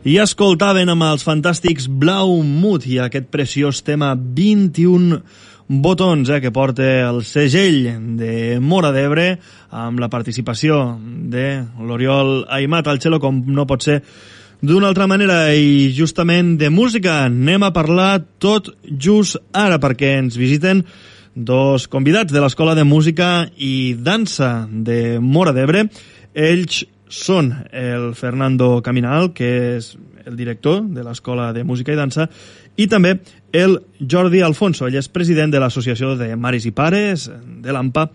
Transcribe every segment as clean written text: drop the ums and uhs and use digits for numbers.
I escoltaven amb els fantàstics Blau Mut i aquest preciós tema 21 botons que porta el segell de Móra d'Ebre amb la participació de l'Oriol Aimat al cello, com no pot ser d'una altra manera. I justament de música anem a parlar tot just ara, perquè ens visiten dos convidats de l'Escola de Música i Dansa de Móra d'Ebre. Ells són el Fernando Caminal, que és el director de l'Escola de Música i Dansa, i també el Jordi Alfonso. Ell és president de l'Associació de Mares i Pares de l'AMPA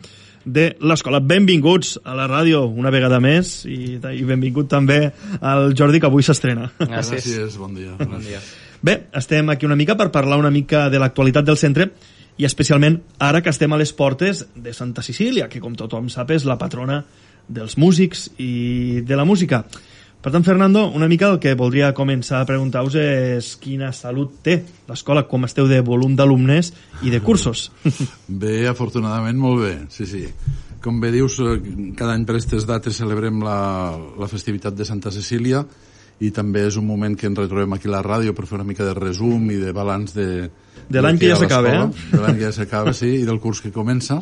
de l'escola. Benvinguts a la ràdio una vegada més i benvingut també al Jordi, que avui s'estrena. Gràcies, bon dia. Bon dia. Bé, estem aquí una mica per parlar una mica de l'actualitat del centre i especialment ara que estem a les portes de Santa Cecília, que com tothom sap és la patrona dels músics i de la música. Per tant, Fernando, una mica el que voldria començar a preguntar-vos és quina salut té l'escola, com esteu de volum d'alumnes i de cursos. Bé, afortunadament molt bé, sí. Com bé dius, cada any per aquestes dates celebrem la festivitat de Santa Cecília i també és un moment que ens retrobem aquí a la ràdio per fer una mica de resum i de balanç de l'any que ja s'acaba, De l'any que ja s'acaba, sí, i del curs que comença.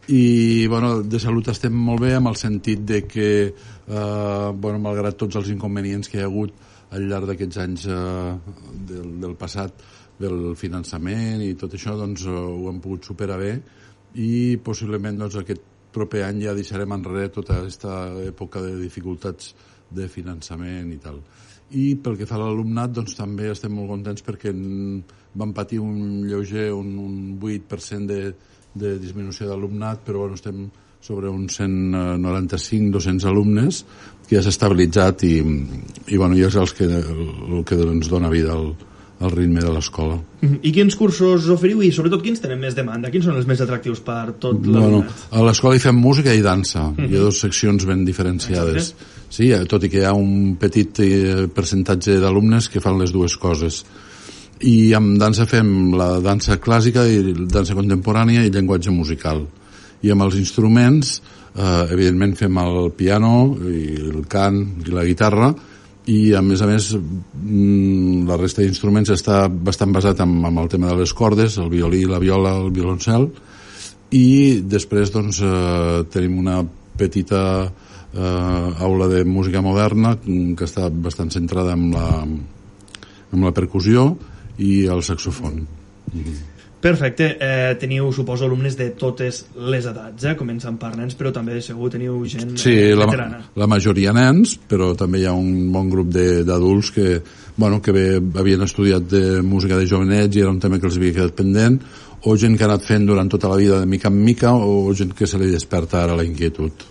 I bueno, de salut estem molt bé, amb el sentit de que malgrat tots els inconvenients que hi ha hagut al llarg d'aquests anys del passat, del finançament i tot això, doncs ho hem pogut superar bé i possiblement doncs, aquest proper any ja deixarem enrere tota aquesta època de dificultats de finançament i tal. I pel que fa a l'alumnat, doncs també estem molt contents perquè vam patir un lleuger, un 8% de disminució d'alumnat, però bueno, estem sobre uns 195-200 alumnes que ja s'ha estabilitzat i bueno, ja és el que ens dona vida al ritme de l'escola. I quins cursos oferiu i sobretot quins tenen més demanda? Quins són els més atractius per tot l'alumnat? A l'escola hi fem música i dansa. Hi ha dues seccions ben diferenciades. Sí, tot i que hi ha un petit percentatge d'alumnes que fan les dues coses. I amb dansa fem la dansa clàssica i dansa contemporània i llenguatge musical. I amb els instruments, evidentment fem el piano, i el cant i la guitarra, i a més la resta d'instruments està bastant basat en el tema de les cordes, el violí, la viola, el violoncel, i després doncs, tenim una petita aula de música moderna que està bastant centrada en la percussió i el saxofon. Perfecte. Teniu, suposo, alumnes de totes les edats, començant per nens, però també segur teniu gent veterana. La majoria nens, però també hi ha un bon grup d'adults que havien estudiat de música de jovenets i era un tema que els havia quedat pendent, o gent que ha anat fent durant tota la vida de mica en mica, o gent que se li desperta ara la inquietud.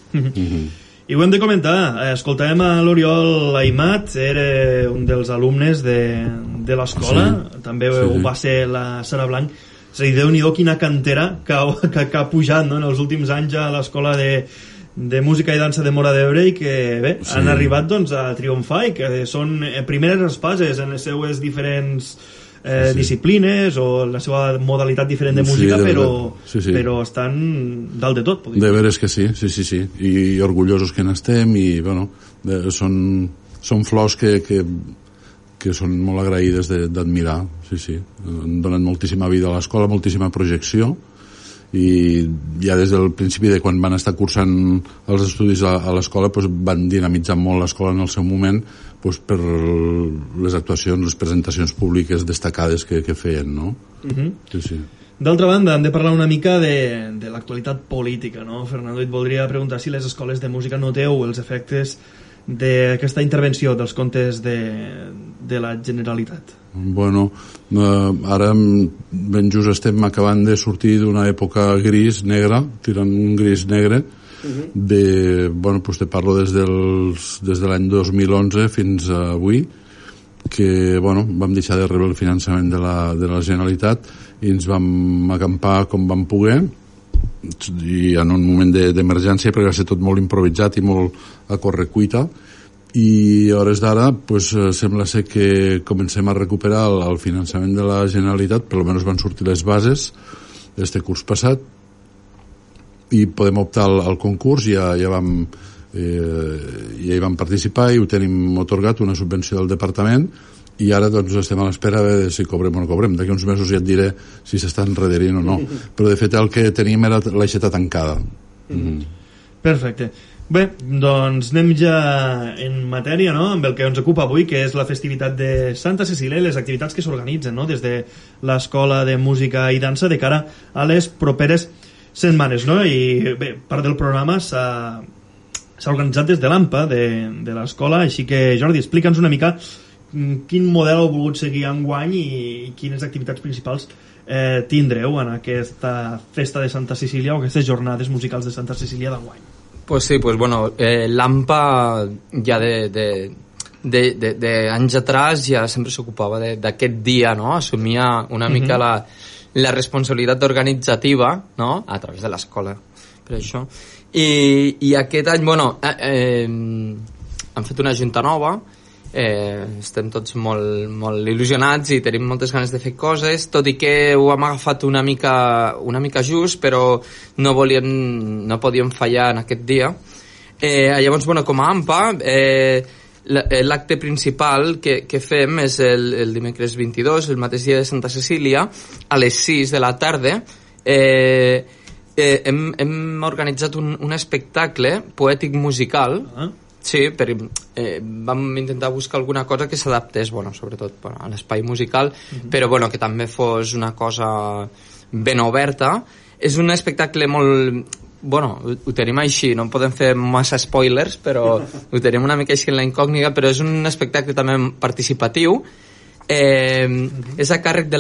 I ho hem de comentar, escoltàvem a l'Oriol Aimat, era un dels alumnes de l'escola, també ho va ser la Sara Blanc. És a dir, Déu-n'hi-do quina cantera que ha pujat en els últims anys a l'Escola de Música i Dansa de Móra d'Ebre i que bé, han arribat doncs, a triomfar i que són primeres espases en les seues diferents disciplines o la seva modalitat diferent de música, però estan dalt de tot. De veres que sí, i orgullosos que n'estem i bueno, són flors que són molt agraïdes d'admirar, han donat moltíssima vida a l'escola, moltíssima projecció, i ja des del principi de quan van estar cursant els estudis a l'escola van dinamitzar molt l'escola en el seu moment per les actuacions, les presentacions públiques destacades que feien, no? D'altra banda, hem de parlar una mica de l'actualitat política, no? Fernando, et voldria preguntar si les escoles de música noteu els efectes d'aquesta intervenció dels comptes de la Generalitat. Bueno, ara ben just estem acabant de sortir d'una època gris, negra, tirant un gris negre, te parlo des de l'any 2011 fins a avui, que vam deixar de rebre el finançament de la Generalitat i ens vam acampar com vam poder, i en un moment d'emergència, perquè va ser tot molt improvisat i molt a correcuita, i a hores d'ara sembla ser que comencem a recuperar el finançament de la Generalitat, per almenys van sortir les bases d'este curs passat i podem optar al concurs. Ja vam i hi vam participar i ho tenim otorgat, una subvenció del departament, i ara doncs estem a l'espera de si cobrem o no cobrem. D'aquí uns mesos ja et diré si s'estan enrederint o no, però de fet el que tenim era l'aixeta tancada. Perfecte. Bé, doncs anem ja en matèria, no?, amb el que ens ocupa avui, que és la festivitat de Santa Cecília i les activitats que s'organitzen, no?, des de l'Escola de Música i Dansa de cara a les properes setmanes, no? I bé, part del programa s'ha organitzat des de l'AMPA de l'escola, així que Jordi, explica'ns una mica quin model heu volgut seguir enguany i quines activitats principals tindreu en aquesta festa de Santa Cecília o aquestes jornades musicals de Santa Cecília d'enguany. Pues sí, pues bueno, l'AMPA ja de anys atrás ja sempre s'ocupava d'aquest dia, no? Assumia una mica la responsabilitat organitzativa, no?, a través de l'escola, per això. I aquest any, bueno, han fet una junta nova, estem tots molt il·lusionats i tenim moltes ganes de fer coses, tot i que ho hem agafat una mica just, però no podíem fallar en aquest dia. Llavors, bueno, com a AMPA, l'acte principal que fem és el dimecres 22, el mateix dia de Santa Cecília, a les 6 de la tarda. Hem organitzat un espectacle poètic musical. Sí, vam intentar buscar alguna cosa que s'adaptés, bueno, sobretot a l'espai musical, però bueno, que també fos una cosa ben oberta. És un espectacle molt... Bueno, ho tenim així, no podem fer massa spoilers, però ho tenim una mica així en la incògnita, però és un espectacle també participatiu. És a càrrec de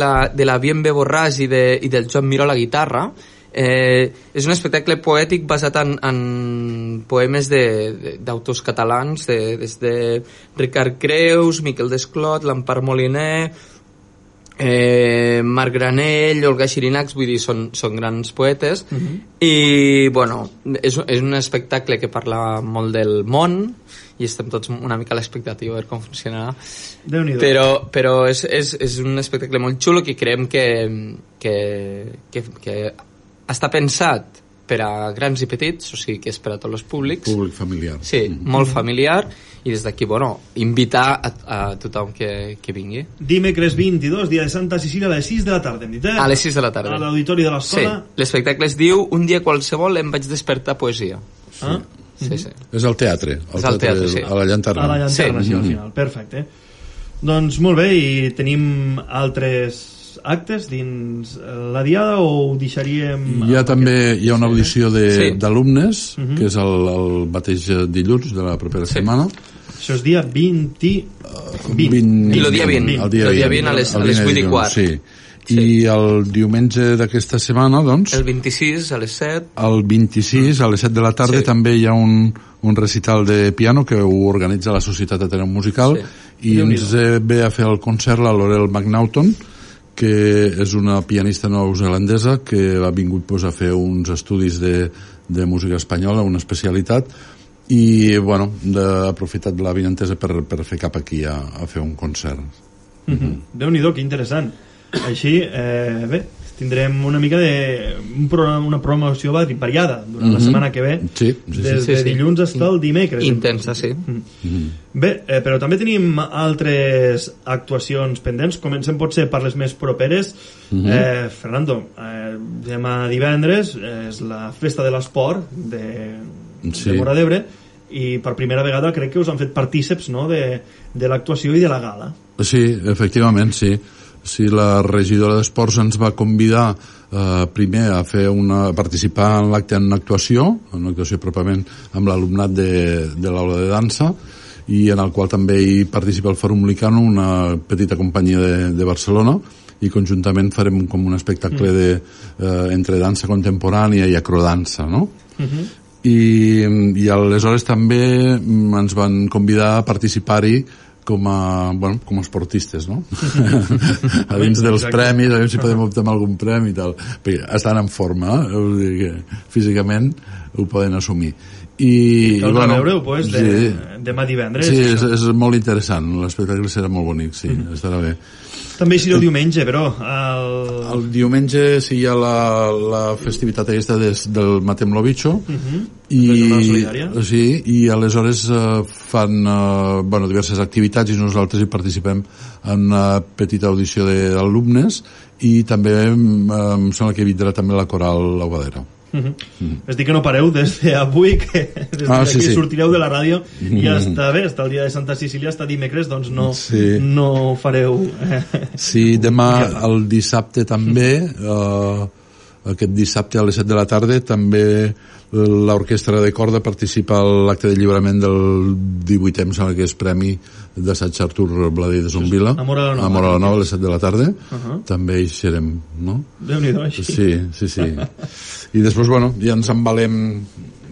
la Bienve Borràs i del Joan Miró a la guitarra. És un espectacle poètic basat en poemes d'autors catalans, des de Ricard Creus, Miquel Desclot, l'Empar Moliner, Marc Granell, Olga Xirinacs, vull dir, són grans poetes. I bueno, és un espectacle que parla molt del món i estem tots una mica a l'expectativa de com funcionarà. Però és un espectacle molt xulo que creiem que està pensat per a grans i petits, o sigui que és per a tots els públics. Públic familiar. Sí, molt familiar, i des d'aquí, bueno, invitar a tothom que vingui. Dimecres 22, dia de Santa Cecília, a les 6 de la tarda, hem dit, A les 6 de la tarda. A l'auditori de l'escola. Sí, l'espectacle es diu Un dia qualsevol em vaig despertar poesia. Sí. És al teatre. És al teatre, sí. A la Llanterna. A la Llanterna, sí, al final. Perfecte. Doncs molt bé, i tenim altres actes dins la diada o ho deixaríem... També hi ha una audició d'alumnes, que és el mateix dilluns de la propera setmana. Això és dia 20... I el dia 20. El dia 20 a les 8:15. Sí. I el diumenge d'aquesta setmana, doncs... El 26 a les 7. El 26 a les 7 de la tarda també hi ha un recital de piano que ho organitza la Societat Ateneu Musical i ens ve a fer el concert la Laurel McNaughton, que és una pianista neozelandesa que ha vingut a fer uns estudis de música espanyola, una especialitat, i bueno, ha aprofitat la vinentesa per fer cap aquí a fer un concert. Déu-n'hi-do, que interessant. Així, bé, tindrem una mica una promoció variada durant la setmana que ve, des de dilluns fins al dimecres. Intensa, sí. Bé, però també tenim altres actuacions pendents. Comencem potser per les més properes. Fernando, demà divendres és la festa de l'esport de Móra d'Ebre, i per primera vegada crec que us han fet partíceps, no?, de l'actuació i de la gala. Sí, efectivament, sí. Sí, la regidora d'Esports ens va convidar primer a participar en l'acte en una actuació pròpiament amb l'alumnat de l'aula de dansa, i en el qual també hi participa el Fòrum Licano, una petita companyia de Barcelona, i conjuntament farem com un espectacle entre dansa contemporània i acrodansa, no? I aleshores també ens van convidar a participar-hi com a esportistes, no? A dins dels premis, a veure si podem optar a algun premi i tal, perquè estan en forma, vull dir que físicament ho poden assumir. Caldrà veure-ho, pues, demà divendres. Sí, és molt interessant, l'espectacle serà molt bonic, sí, estarà bé. També hi serà el diumenge, però... El diumenge sí hi ha la festivitat aquesta del Matem lo Bicho, i aleshores fan diverses activitats i nosaltres hi participem en una petita audició d'alumnes i també em sembla que vindrà també la coral L'Aguadera. És dir que no pareu des d'avui, que des d'aquí sortireu de la ràdio i està bé, està el dia de Santa Cecília, està dimecres, doncs no fareu... Sí, demà el dissabte també, aquest dissabte a les 7 de la tarda també l'orquestra de corda participa a l'acte de lliurament del 18è, em sembla que és premi d'assaig Artur Bladé de Zombila, Amor a la Nova a les 7 de la tarda, també hi serem, no? Déu-n'hi-do, així. Sí. I després, ja ens embalem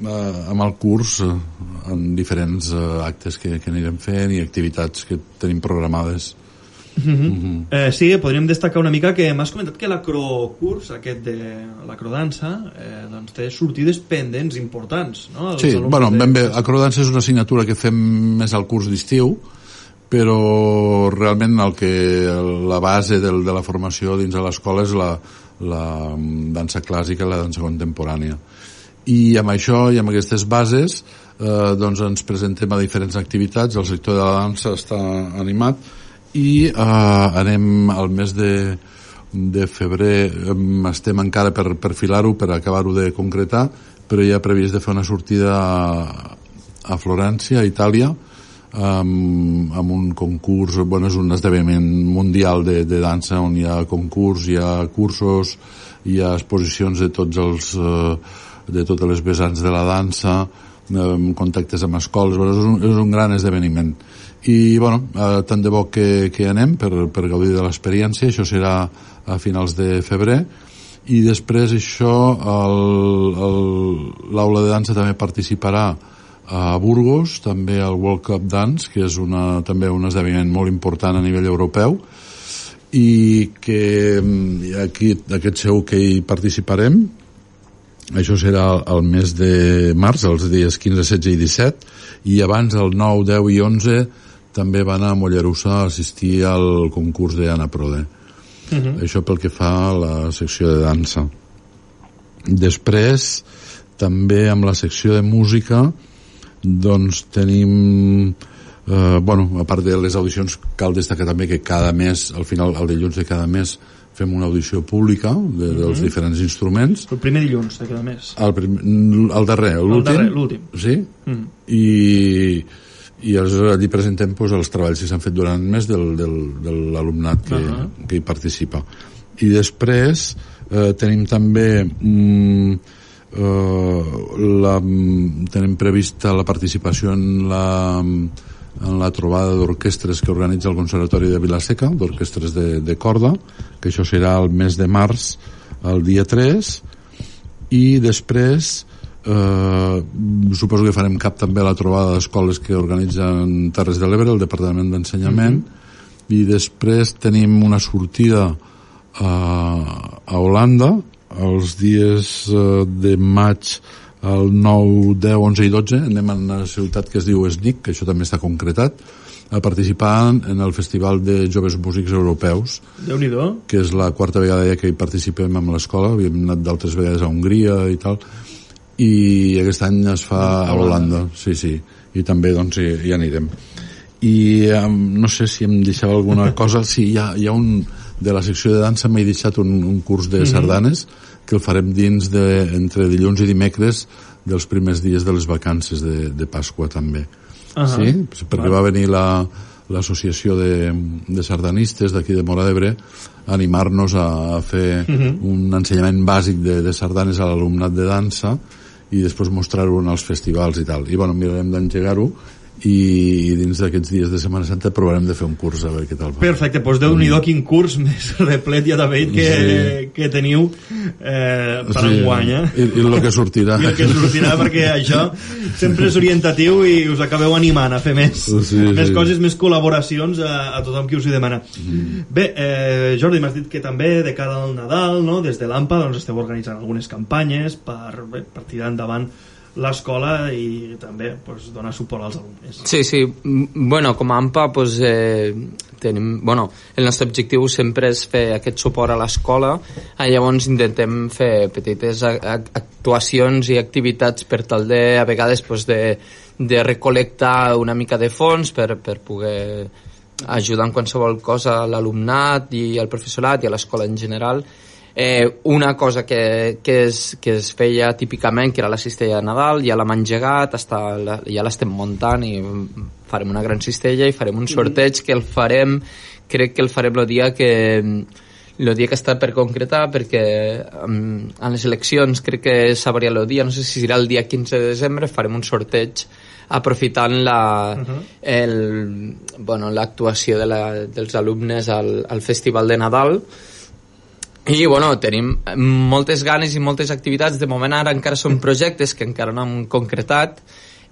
amb el curs en diferents actes que anirem fent i activitats que tenim programades. Sí, podríem destacar una mica que m'has comentat que l'acrocurs, aquest de l'acrodansa, doncs té sortides pendents importants, no? Sí, ben bé, acrodansa és una assignatura que fem més al curs d'estiu, però realment la base de la formació dins de l'escola és la dansa clàssica i la dansa contemporània. I amb això i amb aquestes bases doncs ens presentem a diferents activitats, el sector de la dansa està animat i anem al mes de febrer, estem encara per perfilar-ho, per acabar-ho de concretar, però ja previst de fer una sortida a Florència, a Itàlia, amb un concurs, és un esdeveniment mundial de dansa on hi ha concurs, hi ha cursos, hi ha exposicions de totes les vessants de la dansa, contactes amb escoles, és un gran esdeveniment. I tant de bo que anem per gaudir de l'experiència. Això serà a finals de febrer i després l'aula de dansa també participarà a Burgos, també al World Cup Dance, que és també un esdeveniment molt important a nivell europeu i que aquí aquest segur que hi participarem. Això serà el mes de març, els dies 15, 16 i 17, i abans el 9, 10 i 11 també va anar a Mollerussa a assistir al concurs d'Anna Prode. Això pel que fa a la secció de dansa. Després, també amb la secció de música, doncs tenim... a part de les audicions, cal destacar també que cada mes, al final, el dilluns de cada mes, fem una audició pública dels diferents instruments. El primer dilluns de cada mes. El darrer, l'últim. Sí? I allí presentem els treballs que s'han fet durant el mes de l'alumnat que hi participa. I després tenim també tenim prevista la participació en la trobada d'orquestres que organitza el Conservatori de Vila-seca, d'orquestres de corda, que això serà el mes de març, el dia 3, i després suposo que farem cap també a la trobada d'escoles que organitzen Terres de l'Ebre, el Departament d'Ensenyament, i després tenim una sortida a Holanda els dies de maig, el 9, 10, 11 i 12 anem a una ciutat que es diu Snik, que això també està concretat, a participar en el Festival de Joves Músics Europeus. Déu-n'hi-do. Que és la quarta vegada ja que hi participem amb l'escola, havíem anat d'altres vegades a Hongria i tal, i aquest any es fa a Holanda, sí, i també doncs hi anirem. I no sé si em deixava alguna cosa, sí, hi ha un de la secció de dansa, m'he deixat un curs de sardanes que el farem dins entre dilluns i dimecres dels primers dies de les vacances de Pasqua també. Sí? Perquè va venir l'associació de sardanistes d'aquí de Móra d'Ebre a animar-nos a fer un ensenyament bàsic de sardanes a l'alumnat de dansa i després mostrar-ho en els festivals i tal. I mirarem d'engegar-ho i dins d'aquests dies de Setmana Santa provarem de fer un curs a veure què tal va. Perfecte, doncs Déu-n'hi-do quin curs més replet ja David que teniu per enguany, i el que sortirà i el que sortirà, perquè això sempre és orientatiu i us acabeu animant a fer més coses, més col·laboracions a tothom qui us hi demana. Bé, Jordi, m'has dit que també de cara al Nadal, no? Des de l'AMPA doncs esteu organitzant algunes campanyes per tirar endavant l'escola i també donar suport als alumnes. Sí. Bueno, com a AMPA tenim... Bueno, el nostre objectiu sempre és fer aquest suport a l'escola, llavors intentem fer petites actuacions i activitats per tal de, a vegades, de recolectar una mica de fons per poder ajudar en qualsevol cosa a l'alumnat i al professorat i a l'escola en general. Una cosa que es feia típicament, que era la cistella de Nadal, ja l'hem engegat, ja l'estem muntant i farem una gran cistella i farem un sorteig que crec que el farem el dia que està per concretar, perquè en les eleccions crec que sabria el dia, no sé si serà el dia 15 de desembre, farem un sorteig aprofitant l'actuació dels alumnes al Festival de Nadal. I tenim moltes ganes i moltes activitats. De moment ara encara són projectes que encara no hem concretat.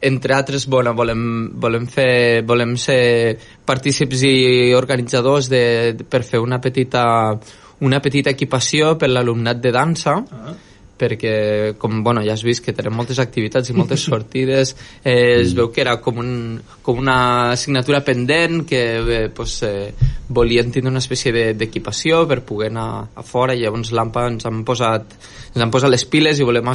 Entre altres, volem ser partícips i organitzadors per fer una petita equipació per l'alumnat de dansa, perquè ja has vist que tenim moltes activitats i moltes sortides. Es veu que era com una assignatura pendent, que volien tindre una espècie d'equipació per poder anar a fora, i llavors l'AMPA ens han posat les piles i volem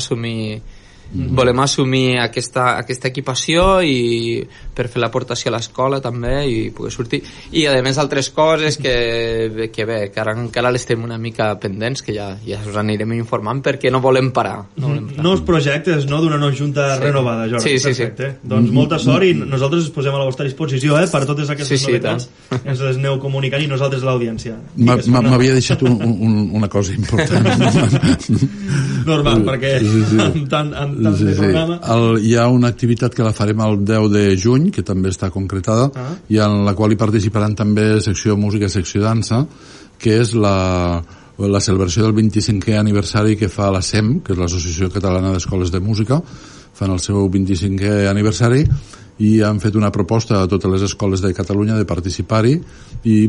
assumir aquesta equipació i per fer l'aportació a l'escola també i poder sortir. I a més altres coses que ara encara les tenim una mica pendents, que ja us anirem informant, perquè no volem parar. Nous projectes, no?, d'una junta renovada, Jordi. Sí. Doncs molta sort, i nosaltres ens posem a la vostra disposició per totes aquestes novetats. Ens les aneu comunicant, i nosaltres l'audiència. M'havia deixat una cosa important. Normal, perquè amb tant de programa... Hi ha una activitat que la farem el 10 de juny, que també està concretada, i en la qual hi participaran també secció música, secció dansa, que és la celebració del 25è aniversari que fa la SEM, que és l'Associació Catalana d'Escoles de Música. Fan el seu 25è aniversari i han fet una proposta a totes les escoles de Catalunya de participar-hi, i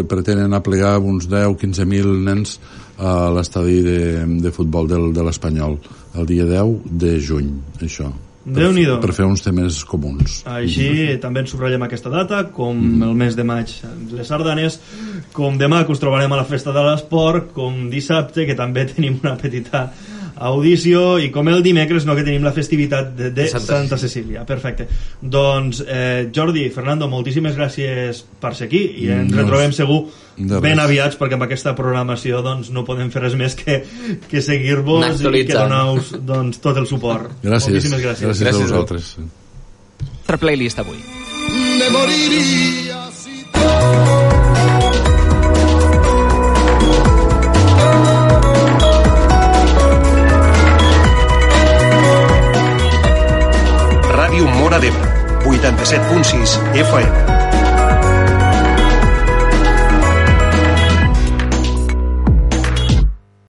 pretenen aplegar uns 10-15.000 nens a l'estadi de futbol de l'Espanyol el dia 10 de juny, això. Déu-n'hi-do. Per fer uns temes comuns. Així també ens subratllem aquesta data, com el mes de maig les sardanes, com demà que us trobarem a la festa de l'esport, com dissabte que també tenim una petita audició, i com el dimecres, no, que tenim la festivitat de Santa Cecília. Perfecte. Doncs Jordi, Fernando, moltíssimes gràcies per ser aquí, i ens retrobem segur ben aviats, perquè amb aquesta programació no podem fer res més que seguir-vos i que donar-vos tot el suport. Gràcies. Moltíssimes gràcies. Gràcies a vosaltres. Nostra playlist avui. Me moriría si Ràdio Móra d'Ebre, 87.6 FM.